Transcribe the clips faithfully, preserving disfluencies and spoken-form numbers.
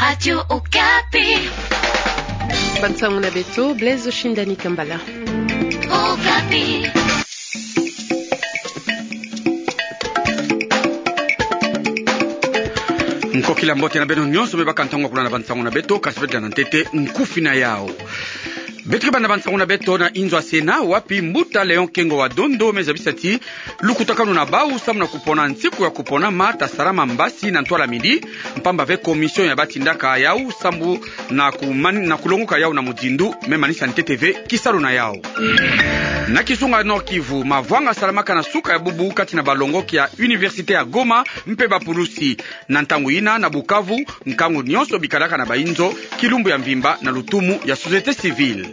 Radio Okapi. Bansangu na beto, Blaise Oshindani Kambala. Okapi. Nkokila mbote na beno nyonso me baka ntangu ya kulanda bansangu na beto, kasi beto landa ntete nkufi na yau. Beto ke banda bansangu na beto na inzo ya Sénat, wapi mbuta Léon Kengo wa Dondo me zabisa ti lukutakanu na bau samu na kupona nsiku ya kuponama ta salama mbasi na ntwala midi, mpamba ve commission ya batindaka yau samu na kuman-, na kulonguka yau na muzindu, me manisa ntete ve kisalu na yau. Na kizunga Nord-Kivu, mavwanga salamaka na suka ya bubu kati na balongoki ya Université ya Goma mpe bapulusi. Na ntangu yina, na Bukavu, nkangu nyonso bikalaka na bainzo, kilumbu ya mvimba na lutumu ya société civile.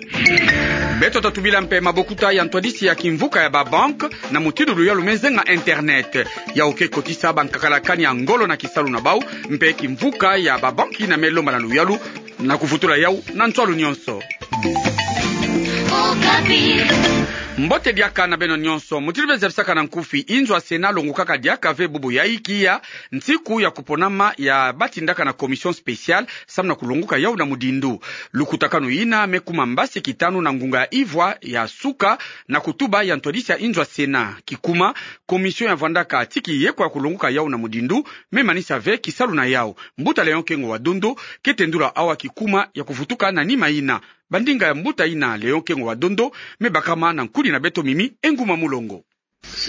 Beto tatubila mpe mabokuta ya ntwadisi ya kimvuka ya babanque na mutindu luyalu me zenga internet. Yau ke kotisa bankakalakani ya ngolo na kisalu na bau, mpe kimvuka ya babanque yina me lomba na luyalu na kuvutula yau na nswalu nyonso. Okapi. Mbote diaka na beno nyonso. Mutindu be zabisaka na nkufi, inzo ya Sénat longukaka diaka ve bubu ya ikiya nsiku ya kuponama ya batindaka na commission spéciale samu na kulonguka yau na muzindu. Lukutakanu yina me kuma mbasi kitanu na ngunga ya ivwa ya suka na kutuba ya ntwadisi ya inzo ya Sénat. Kikuma, commission ya vwandaka tiki yekwa ya kulonguka yau na muzindu, me manisa ve kisalu na yau. Mbuta Léon Kengo wa Dondo ke tendula awa kikuma ya kuvutuka na nima yina. Bandinga ya mbuta yina Léon Kengo wa Dondo me bakama na nkudi na beto Mimi Enguma Mulongo.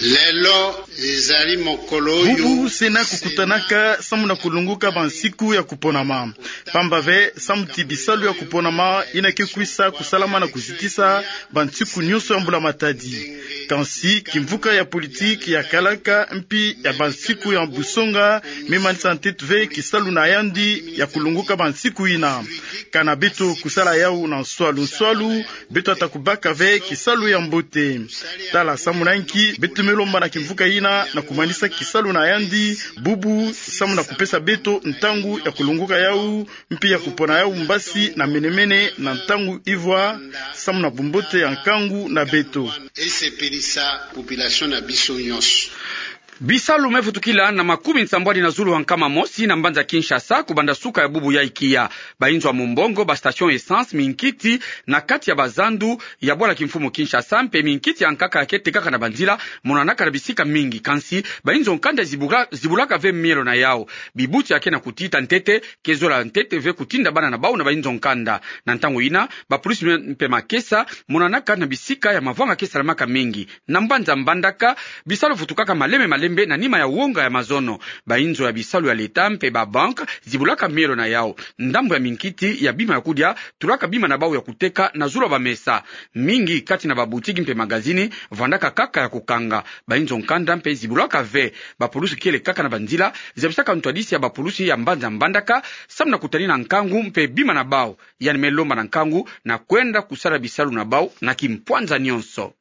Lelo ezali mokolo oyo bubu Sénat kukutanaka samu na kulonguka bansiku ya kuponama. Mpamba ve, samu ti bisalu ya kuponama yina ke kwisa kusalama na kuzitisa bansiku nyonso ya mbula matadi. Kansi, kimvuka ya politiki ya kalaka mpi ya bansiku ya busonga me manisa ntete ve kisalu na yandi ya kulonguka bansiku yina. Kana beto kusala yau na nswalu nswalu, beto ata kubaka ve kisalu ya mbote. Tala samu na nki beto me lomba na kimvuka yina na kumanisa kisalu na yandi bubu, samu na kupesa beto ntangu ya kulonguka yau, mpi ya kupona yau mbasi na menemene na ntangu ivwa, samu na bumbote ya nkangu na beto. Esepelisa population na biso nyonso. Bisalu me vutukila na makumi nsambwadi na zulu ha nkama mosi na mbanza Kinshasa, kubanda suka ya bubu ya ikiya. Bainzo ya mumbongo, ba station essence, minkiti na kati ya bazandu ya bwala kimfumu Kinshasa, mpe minkiti ya nkaka ya ke tekaka na banzila, monanaka na bisika mingi. Kansi, bainzo nkanda zibula-, zibulaka ve mielo na yau. Bibuti ya ke na kutita ntete ke zola ntete ve kutinda bana na bau na bainzo nkanda. Na ntangu yina, bapulusi mpe makesa monanaka na bisika ya mavwanga ke salamaka mingi. Na mbanza Mbandaka, bisalu vutukaka malembe malembe na nima ya wonga ya mazono. Bainzo ya bisalu ya leta mpe babanque zibulaka mielo na yau. Ndambu ya minkiti ya bima ya kudia tulaka bima na bau ya kuteka na zulu ya bamesa. Mingi kati na babutiki mpe magazini vwandaka kaka ya kukanga. Bainzo nkanda mpe zibulaka ve. Bapulusi kiele kaka na banzila zabisaka ntwadisi ya bapulusi ya mbanza Mbandaka, samu na kutanina nkangu mpe bima na bau. Yandi me lomba na nkangu na kwenda kusala bisalu na bau na kimpwanza nyonso.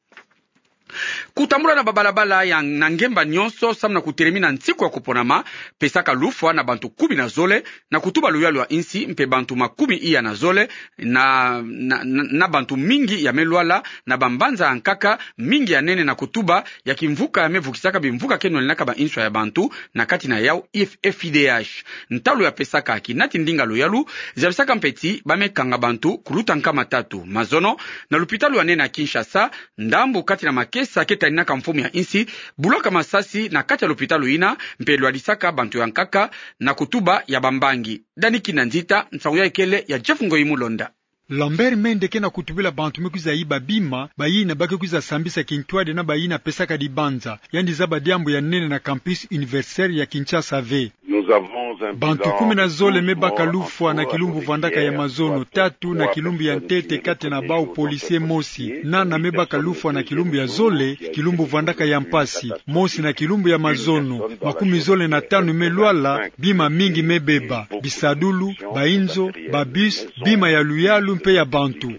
Kutambula na babalabala ya na ngemba nyonso samu na kutelemina nsiku ya kuponama, pesaka lufwa na bantu kumi na zole, na kutuba luyalu ya insi, mpe bantu makumi iya na zole, na, na, na, na bantu mingi ya me lwala, na bambanza ya nkaka mingi ya nene, na kutuba ya kimvuka ya me vukisaka bimvuka ke nwaninaka ba inswa ya bantu, na kati na yau F I D H. Ntalu ya pesaka kinati ndinga luyalu zabisaka mpe ti ba me kanga bantu kuluta nkama tatu. Mazono, na lupitalu ya nene ya Kinshasa, ndambu kati na makesa ke taninaka mfumu ya insi bulaka masasi na kati ya lupitalu yina, mpe lwadisaka bantu ya nkaka na kutuba ya bambangi. Dani Kina Nzita, nsangu ya ikele ya Jeff Ngoyi Mulonda. Lambert Mende ke na kutubila bantu me kwiza yiba bima, bayina ba ke kwiza sambisa kintwadi na bayina pesaka dibanza. Yandi zaba diambu ya nene na campus universitaire ya Kinshasa ve. Bantu kumi na zole me baka lufwa na kilumbu vwandaka ya mazono, tatu na kilumbu ya ntete kati na bau policier mosi, nana me baka lufwa na kilumbu ya zole, kilumbu vwandaka ya mpasi, mosi na kilumbu ya mazono, makumi zole na tanu me lwala, bima mingi me beba, bisadulu, bainzo, babus, bima ya luyalu mpe ya bantu.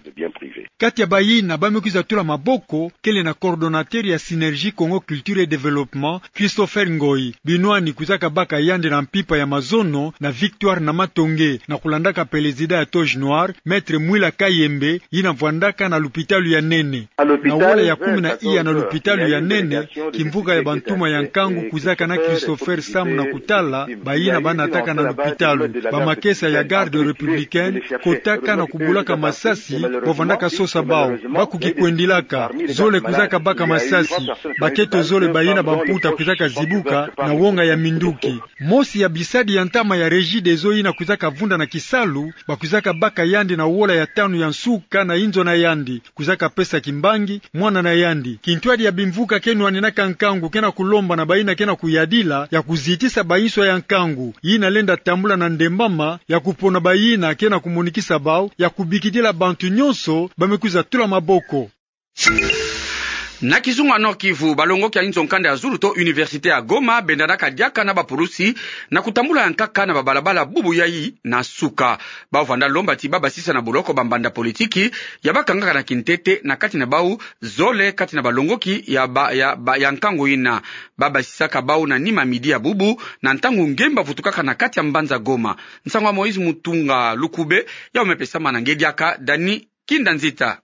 Kati ya bayina ba me kwiza tula maboko, kele na coordonnateur ya Synergie Congo Culture et Développement, Christopher Ngoyi. Binwani kwizaka baka yandi na mpimpa ya mazono na Victoire Namatonge, na kulandaka pelezida ya Toge Noire, Maître Mwila Kayembe, yina vwandaka na lupitalu ya nene. Na wola ya kumi na iya na lupitalu ya nene, kimvuka ya bantuma ya nkangu kwizaka na Christopher samu na kutala bayina ba nataka na lupitalu. Bamakesa ya Garde républicaine kotaka na kubulaka masasi ba vandaka sosa bawu. Ba kukikwendilaka, zole kwizaka baka masasi. Baketo zole bayina bamputa kwizaka zibuka na wonga ya minduki. Mosi ya bisadi ya ntama ya Regideso yina kwizaka vunda na kisalu, ba kwizaka baka yandi na wola ya tanu ya nsuka na inzo na yandi. Kwizaka pesa kimbangi mwana na yandi. Kintwadi ya bimvuka ke nwaninaka nkangu ke na kulomba na bayina ke na kuyadila ya kuzitisa banswa ya nkangu yina lenda tambula na ndembama, ya kupona bayina ke na kumonikisa bawu, ya kubikidila bantu nyonso ba me kwiza tula maboko. Na kizunga Nord-Kivu, balongoki ya inzo nkanda ya zulu to université ya Goma bendanaka diaka na bapulusi na kutambula ya nkaka na babalabala bubu yayi na nsuka. Bawu vanda lomba ti ba basisa na boloko bambanda politiki ya ba kangaka na kintete na kati na bawu zole kati na balongoki ya ba, ya ba, ya nkangu yina. Ba basisaka bawu na nima midi ya bubu, na ntangu ngemba vutukaka na kati ya mbanza Goma. Nsangu ya Moïse Mutunga Lukube, yawu me pesama na nge diaka Dani Kindanzita.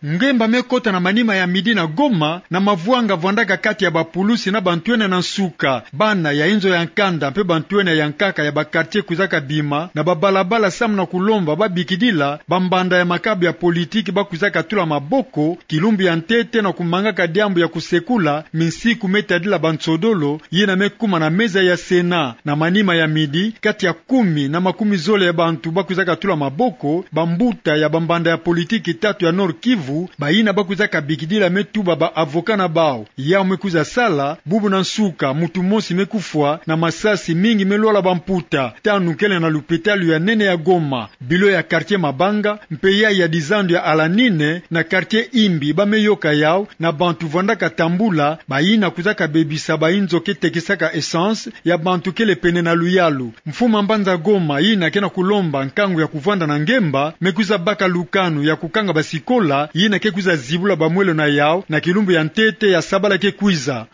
Ngemba me kota na manima ya midi na Goma, na mavwanga vwandaka kati ya bapulusi na bantwenia na nsuka. Bana ya inzo ya nkanda mpe bantwenia ya nkaka ya ba quartier kwizaka bima na babalabala samu na kulomba ba bikidila bambanda ya makabu ya politiki ba kwizaka tula maboko kilumbu ya ntete na kumangaka diambu ya kusekula minsiku me tadila bansodolo yina me kuma na meza ya Sénat. Na manima ya midi, kati ya kumi na makumi zole ya bantu ba kwizaka tula maboko, bambuta ya bambanda ya politiki tatu ya Nord-Kivu, bayina ba kwizaka bikidila me tuba ba avocat na bawu. Yawu me kwiza sala bubu na nsuka, muntu mosi me kufwa na masasi, mingi me lwala bamputa. Tanu kele na lupitalu ya nene ya Goma. Bilo ya quartier Mabanga mpe yayi ya dizandu ya Alanine na quartier Imbi ba me yoka yawu na bantu vwandaka tambula, bayina kwizaka bebisa bainzo ke tekisaka essence ya bantu kele pene na luyalu. Mfumu a mbanza Goma yina ke na kulomba nkangu ya kuvwanda na ngemba me kwiza baka lukanu ya kukanga basikola yina ke kwiza zibula bamwelo na yawu na kilumbu ya ntete ya sabala ke kwiza.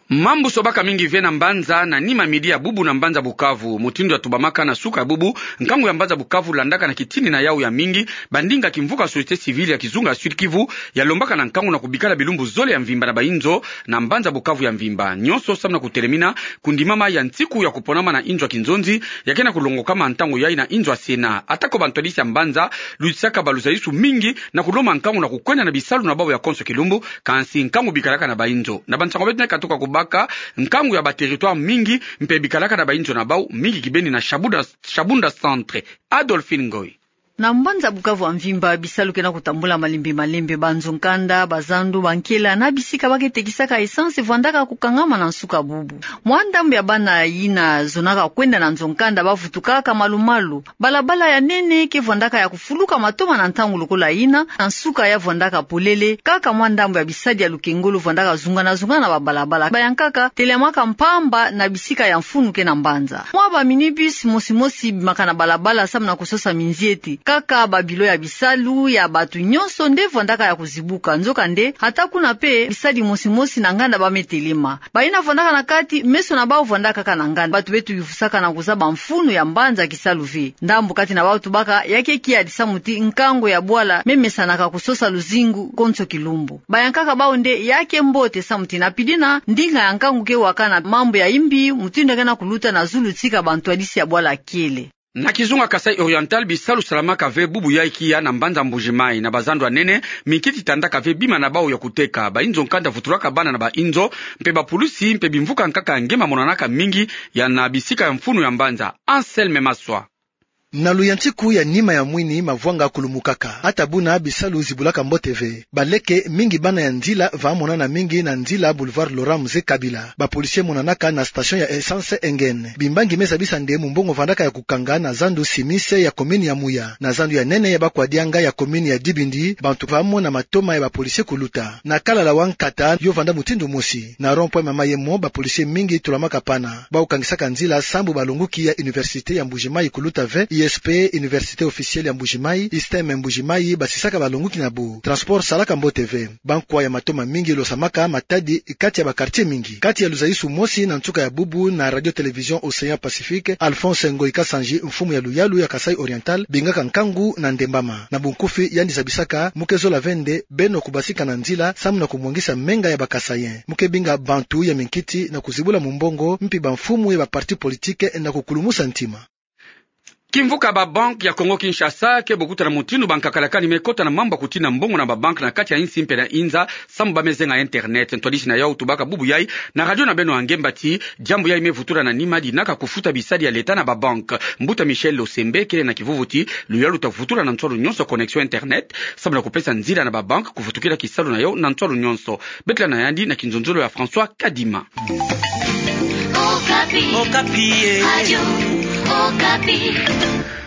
Mambu sobaka mingi ve na mbanza na nima midi ya bubu na mbanza Bukavu. Mutindu ya tubamaka na nsuka ya bubu, nkangu ya mbanza Bukavu landaka na kitini na yawu ya mingi bandinga kimvuka société civile ya kizunga ya Sud-Kivu, ya lombaka na nkangu na kubikala bilumbu zole ya mvimba na bainzo na mbanza Bukavu ya mvimba. Nyonso samu na kutelemina kundimama ya nsiku ya kuponama na inzo ya kinzonzi ya ke na kulongokama ntangu yayi na inzo ya Sénat. Atako bantwadisi ya mbanza lutisaka baluzaisu mingi na kulomba nkangu na kukwenda na bisalu na bawu ya konso kilumbu, kansi nkangu bikalaka na bainzo. Na bansangu beto na katuka kubaka, nkangu ya ba territoire mingi mpe bikalaka na bainzo na bawu, mingi kibeni na Shabunda, Shabunda Centre. Adolphine Ngoyi. Na mbanza Bukavu ya mvimba, bisalu ke na kutambula malembe malembe. Banzo nkanda, bazandu, bankela na bisika ba ke tekisaka essence vwandaka kukangama na nsuka bubu. Mwa ndambu ya bana yina zonaka kwenda na nzo nkanda ba vutukaka malu-malu. Balabala ya nene ke vwandaka ya kufuluka matoma na ntangu lokola yina, na nsuka ya vwandaka polele, kaka mwa ndambu ya bisadi ya lukengolo vwandaka zungana-zungana na babalabala. Bayankaka telamaka mpamba na bisika ya mfunu ke na mbanza. Mwa ba minibus mosi-mosi bimaka na balabala samu na kusosa minzieti. Kaka babilo ya bisalu ya bantu nyonso nde vwandaka ya kuzibuka. Nzokande, ata kuna mpe, bisadi mosi-mosi na nganda ba me telema. Bayina vwandaka na kati, meso na bawu vwandaka kaka na nganda. Bantu beto bivusaka na kuzaba mfunu ya mbanza kisalu ve. Ndambu kati na bawu tubaka ya ke kiadi samu ti nkangu ya bwala me mesanaka kusosa luzingu konso kilumbu. Bayankaka bawu nde ya ke mbote samu ti na pidina, ndinga ya nkangu ke waka na mambu ya imbi, mutindu ke na kuluta na zulu tika bantwadisi ya bwala kiele. Na kizunga Kasaï Oriental, bisalu salamaka ve bubu yayi kiya na mbanza Mbuji-Mayi. Na bazandu ya nene, minkiti tandaka ve bima na bawu ya kuteka. Bainzo nkanda vutulaka bana na bainzo, mpe bapulusi, mpe bimvuka nkaka ya nge mamonanaka mingi ya na bisika ya mfunu ya mbanza. Anselme Maswa. Na luyantiku ya nima ya mwini, mavwanga kulumukaka. Ata buna bisalu zibulaka mbote ve. Baleke, mingi bana ya nzila, vamonana mingi na nzila Boulevard Laurent Mzee Kabila. Bapolisi monanaka na station ya essence Engen. Bimbangi me zabisa nde mumbongo vandaka ya kukanga na zandu Simise ya commune ya Muya, na zandu ya nene ya Bakwadianga ya commune ya Dibindi, bantu vamona matoma ya bapolisi kuluta. Na Kalala wa nkata, yo vanda mutindu mosi. Na rond-point Mama Yemo, bapolisi mingi tulamaka pana. Bawu kangisaka nzila sambu balongoki ya Université ya Mbuji-Mayi kuluta ve, Sp, Université officielle ya Mbuji-Mayi, ISTEM Mbuji-Mayi, basisaka balonguki na bu. Transport salaka mbote ve. Bankwa ya mato mamingi losamaka matadi kati ya ba quartier mingi. Kati ya luzaisu mosi na nsuka ya bubu na Radio Télévision Océan Pacifique, Alphonse Ngoyi Kasanji, mfumu ya luyalu ya Kasaï Oriental, bingaka nkangu na ndembama. Na bunkufi yandi zabisaka, mu ke zola ve nde beno kubasika na nzila, samu na kumwangisa menga ya ba Kasaïens. Mu ke binga bantu ya minkiti na kuzibula mumbongo, mpi bamfumu ya ba partis politiques na kukulumusa ntima. Kimvuka ba banques ya Congo Kinshasa ke bokuta na mutindu ba nkakalakani me kota na mambu ya kutina mbongo na ba banques na kati ya insi mpe na inza, samu ba me zenga internet. Ntwadisi na yau tubaka bubu yai na radio na beno ya ngemba ti diambu yai me vutula na nima dinaka kufuta bisadi ya l'État na ba banques. Mbuta Michel Losembe kele na kivuvu ti luyalu ta vutula na nswalu nyonso connexion internet, samu na kupesa nzila na ba banques kuvutukila kisalu na yau na nswalu nyonso. Betela na yandi na kinzonzolo ya François Kadima. Okapi. Okapi, eh. Radio Okapi.